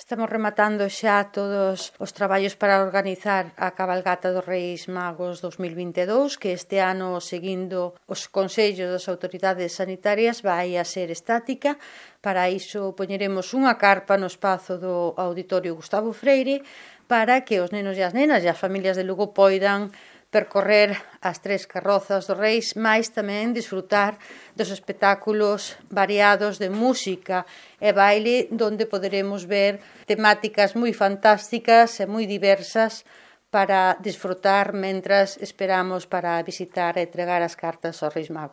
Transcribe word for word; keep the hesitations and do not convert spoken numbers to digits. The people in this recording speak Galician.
Estamos rematando xa todos os traballos para organizar a cabalgata dos Reis Magos dos mil vinte e dous, que este ano, seguindo os consellos das autoridades sanitarias, vai a ser estática. Para iso poñeremos unha carpa no espazo do Auditorio Gustavo Freire para que os nenos e as nenas e as familias de Lugo poidan percorrer as tres carrozas dos Reis, mais tamén disfrutar dos espectáculos variados de música e baile, donde poderemos ver temáticas moi fantásticas e moi diversas para disfrutar mentras esperamos para visitar e entregar as cartas aos Reis Magos.